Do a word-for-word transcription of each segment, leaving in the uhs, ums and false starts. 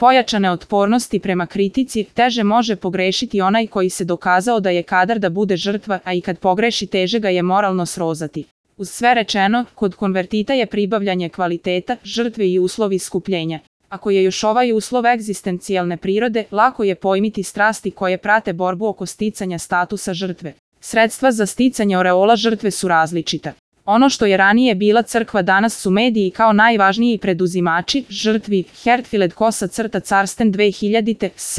pojačane otpornosti prema kritici, teže može pogrešiti onaj koji se dokazao da je kadar da bude žrtva, a i kad pogreši teže ga je moralno srozati. Uz sve rečeno, kod konvertita je pribavljanje kvaliteta, žrtve i uslov iskupljenja. Ako je još ovaj uslov egzistencijalne prirode, lako je pojmiti strasti koje prate borbu oko sticanja statusa žrtve. Sredstva za sticanje oreola žrtve su različita. Ono što je ranije bila crkva danas su mediji kao najvažniji preduzimači, žrtvi, Hertfield Kosa crta Carsten dve hiljadite, s.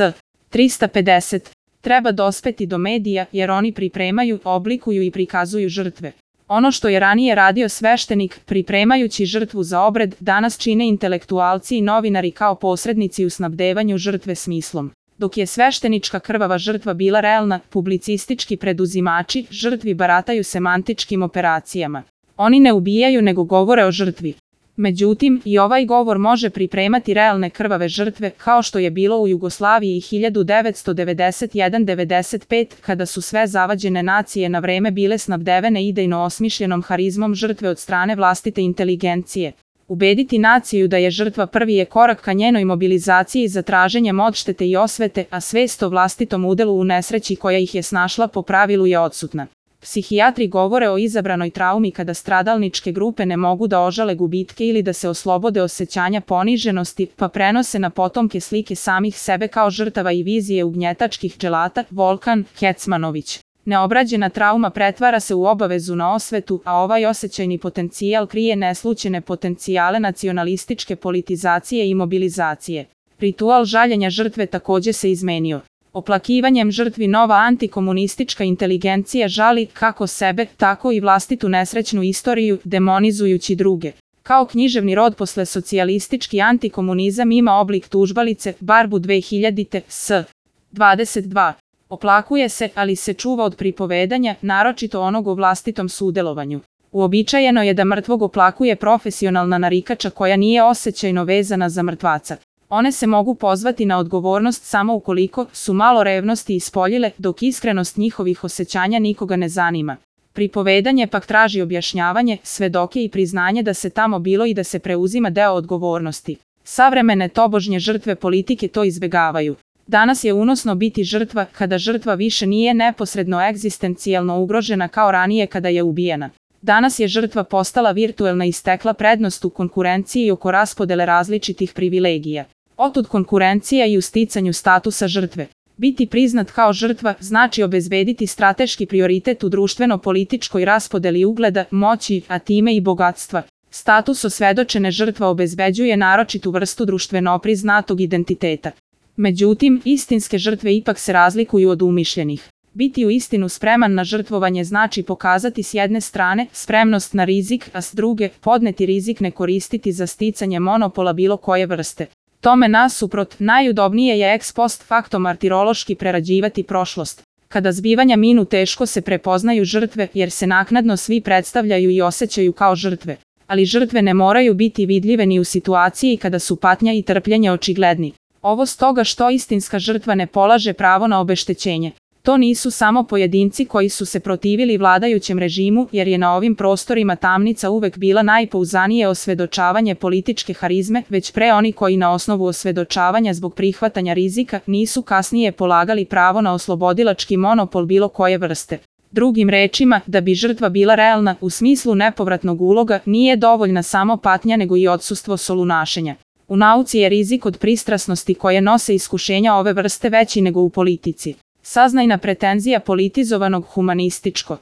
trista pedeset. Treba dospeti do medija jer oni pripremaju, oblikuju i prikazuju žrtve. Ono što je ranije radio sveštenik, pripremajući žrtvu za obred, danas čine intelektualci i novinari kao posrednici u snabdevanju žrtve smislom. Dok je sveštenička krvava žrtva bila realna, publicistički preduzimači, žrtvi barataju semantičkim operacijama. Oni ne ubijaju nego govore o žrtvi. Međutim, i ovaj govor može pripremati realne krvave žrtve, kao što je bilo u Jugoslaviji hiljadu devetsto devedeset jedan do devedeset pet, kada su sve zavađene nacije na vreme bile snabdevene idejno osmišljenom harizmom žrtve od strane vlastite inteligencije. Ubediti naciju da je žrtva prvi je korak ka njenoj mobilizaciji za traženjem odštete i osvete, a svest o vlastitom udelu u nesreći koja ih je snašla po pravilu je odsutna. Psihijatri govore o izabranoj traumi kada stradalničke grupe ne mogu da ožale gubitke ili da se oslobode osjećanja poniženosti, pa prenose na potomke slike samih sebe kao žrtava i vizije ugnjetačkih dželata. Volkan Kecmanović. Neobrađena trauma pretvara se u obavezu na osvetu, a ovaj osjećajni potencijal krije neslućene potencijale nacionalističke politizacije i mobilizacije. Ritual žaljenja žrtve takođe se izmenio. Oplakivanjem žrtvi nova antikomunistička inteligencija žali kako sebe, tako i vlastitu nesrećnu istoriju, demonizujući druge. Kao književni rod posle socijalistički antikomunizam ima oblik tužbalice, Barbu dve hiljadite, s. dvadeset dva. Oplakuje se, ali se čuva od pripovedanja, naročito onog o vlastitom sudelovanju. Uobičajeno je da mrtvog oplakuje profesionalna narikača koja nije osjećajno vezana za mrtvaca. One se mogu pozvati na odgovornost samo ukoliko su malo revnosti ispoljile, dok iskrenost njihovih osjećanja nikoga ne zanima. Pripovedanje pak traži objašnjavanje, svedoke i priznanje da se tamo bilo i da se preuzima deo odgovornosti. Savremene tobožnje žrtve politike to izbegavaju. Danas je unosno biti žrtva kada žrtva više nije neposredno egzistencijalno ugrožena kao ranije kada je ubijena. Danas je žrtva postala virtuelna i stekla prednost u konkurenciji oko raspodele različitih privilegija. Otud konkurencija i u sticanju statusa žrtve. Biti priznat kao žrtva znači obezbediti strateški prioritet u društveno-političkoj raspodeli ugleda, moći, a time i bogatstva. Status osvedočene žrtva obezbeđuje naročitu vrstu društveno priznatog identiteta. Međutim, istinske žrtve ipak se razlikuju od umišljenih. Biti u istinu spreman na žrtvovanje znači pokazati s jedne strane spremnost na rizik, a s druge podneti rizik ne koristiti za sticanje monopola bilo koje vrste. Tome nasuprot, najudobnije je ex post facto martirološki prerađivati prošlost. Kada zbivanja minu teško se prepoznaju žrtve jer se naknadno svi predstavljaju i osjećaju kao žrtve. Ali žrtve ne moraju biti vidljive ni u situaciji kada su patnja i trpljenje očigledni. Ovo stoga što istinska žrtva ne polaže pravo na obeštećenje. To nisu samo pojedinci koji su se protivili vladajućem režimu, jer je na ovim prostorima tamnica uvek bila najpouzdanije osvedočavanje političke harizme, već pre oni koji na osnovu osvedočavanja zbog prihvatanja rizika nisu kasnije polagali pravo na oslobodilački monopol bilo koje vrste. Drugim rečima, da bi žrtva bila realna u smislu nepovratnog uloga, nije dovoljna samo patnja nego i odsustvo solunašenja. U nauci je rizik od pristrasnosti koje nose iskušenja ove vrste veći nego u politici. Saznajna pretenzija politizovanog humanističko